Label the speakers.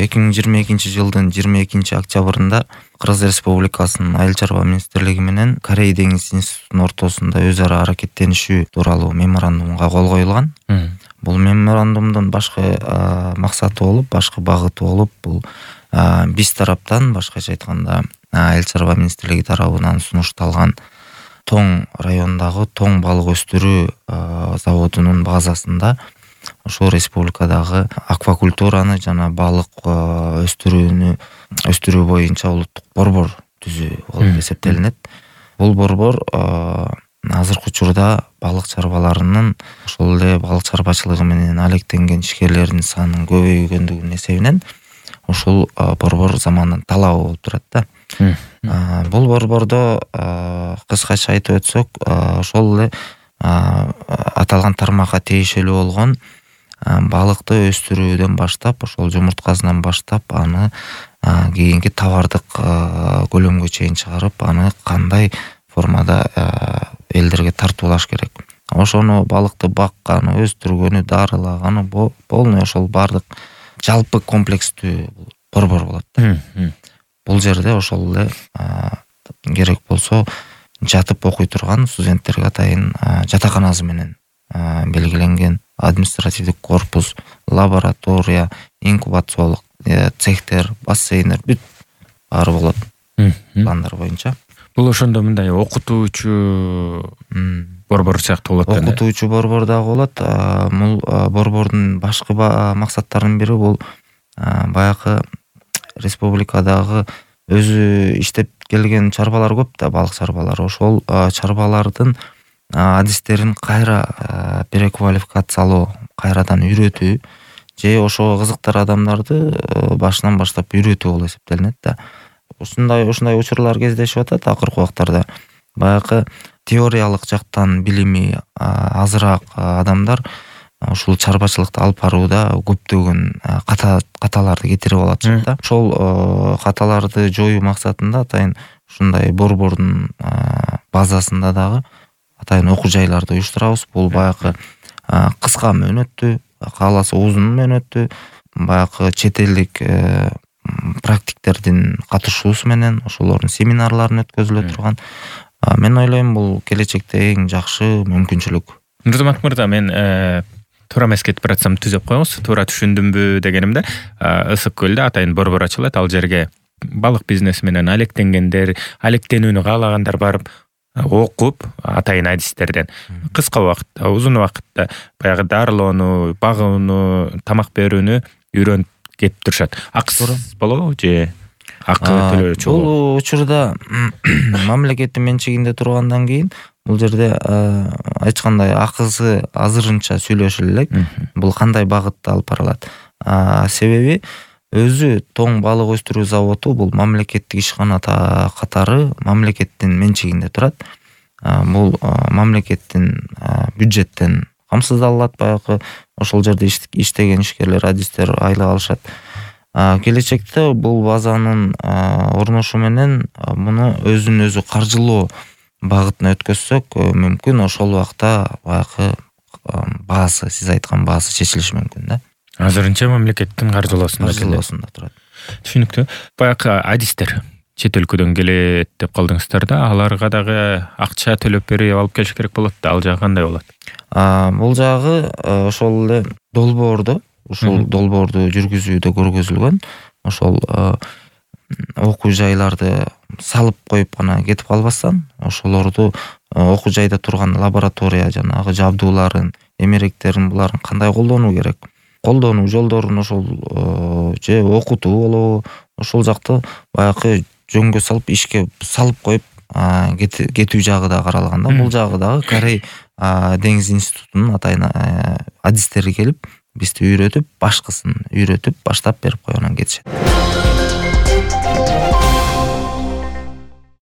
Speaker 1: 2022-жылдын 22-октябрында Кыргыз Республикасынын Айыл чарба министрлиги менен Корей деңиз институтунун ортосунда өз ара аракеттенишүү тууралуу меморандумга кол коюлган. Бул меморандумдун башкы максаты болуп, башкы багыты болуп, бул биз тараптан, башкача айтканда, Айыл чарба министрлиги тарабынан сунушталган Тоң районундагы Тоң балык өстүрүү заводунун базасында ошол республикадагы аквакультураны жана балык өстүрүү боюнча улуттук борбор түзүү болуп эсептелинет. Бул борбор азыркы учурда балык чарбаларынын, ошол эле балык чарбачылыгы менен алектенген ишкерлердин санынын көбөйгөндүгүнүн эсебинен ошол борбор заманын талабы болуп турат да. Бул борбордо кыскача айтып өтсөк, ошол эле аталган тармакка тиешелүү болгон балыкты өстүрүүдөн баштап, ошол жумурткасынан баштап, аны кийинки товардык көлөмгө чейин чыгарып, аны кандай формада элдерге тартуулаш керек. Ошону балыкты бакканы, өстүргөнү, дарылаганы, полный ошол бардык жалпы комплекстүү борбор болот. Бул жерде ошол эле керек болсо жатып окуй турган студенттерге атайын жатаканасы менен белгиленген административдик корпус, лаборатория, инкубациялык цехтер, бассейндер бүт баары болот пландар боюнча.
Speaker 2: Бул ошондо мындай окутуучу борбор сыяктуу болот.
Speaker 1: Окутуучу борбор дагы болот. Бул борбордун башкы максаттарынын бири бул баягы республикадагы өзү иштеп келген чарбалар көп да, балык чарбалары. Ошол чарбалардын адистерин кайра переквалификациялоо, кайрадан үйрөтүү же ошого кызыктар адамдарды башынан баштап үйрөтүү болуп эсептелинет да. Ушундай учурлар кездешип атат акыркы убактарда. Баягы теориялык жактан билими азыраак адамдар ушул чарбачылыкты алып барууда көптөгөн каталарды кетирип алат да. Ошол каталарды жоюу максатында атайын ушундай борбордун базасында дагы атайын окуу жайларды уюштурабыз. Бул баягы кыска мөөнөттүү, кааласа узун мөөнөттүү, баягы чет элдик практиктердин катышуусу менен ошолордун семинарларын өткөзүлө турган. Мен ойлойм, бул келечекте эң жакшы мүмкүнчүлүк.
Speaker 2: Нурзамат мырза, мен туура эмес кетип баратсам түзөп коюңуз. Туура түшүндүмбү дегенимде, Ысык көлдө атайын борбор ачылат. Ал жерге балык бизнеси менен алектенгендер, алектенүүнү каалагандар барып окуп, атайын адистерден кыска убакытта, узун убакытта баягы дарылоону, багууну, тамак берүүнү үйрөнүп кетип турушат. Акысыз болобу же акы төлөөчү болобу?
Speaker 1: Бул учурда мамлекеттин менчигинде тургандан кийин бул жерде айткандай акысы азырынча сүйлөшүлө элек. Бул кандай багытта алып барылат? Себеби өзү Тоң балык өстүрүү заводу бул мамлекеттик ишкана катары мамлекеттин менчигинде турат. Бул мамлекеттин бюджеттен камсыздалат. Баягы ошол жерде иштеген ишкерлер, адистер айлык алышат. Келечекте бул базанын орношу менен муну өзүн өзү каржылоо багытына өткөзсөк, мүмкүн ошол убакта баягы баасы, сиз айткан баасы чечилиши мүмкүн да.
Speaker 2: Азырынча мамлекеттин каржылоосунда
Speaker 1: турат.
Speaker 2: Түшүнүктүү. Баягы адистер чет өлкөдөн келет деп калдыңыздар да, аларга дагы акча төлөп берип алып келиш керек болот да. Ал жагы кандай болот?
Speaker 1: Бул жагы ошол эле долбоордо, ушул долбоорду жүргүзүүдө көргөзүлгөн. Ошол окуу жайларды салып коюп гана кетип калбастан, ошолорду окуу жайда турган лаборатория жанагы жабдууларын, эмеректерин, буларын кандай колдонуу керек, колдонуу жолдорун ошол же окутуу болобу, ошол жакты баягы жөнгө салып, ишке салып коюп кетүү жагы да каралган да. Бул жагы дагы Корей деңиз институтунун атайын адистери келип, бизди үйрөтүп, башкысын үйрөтүп, баштап берип койгонан кетишет.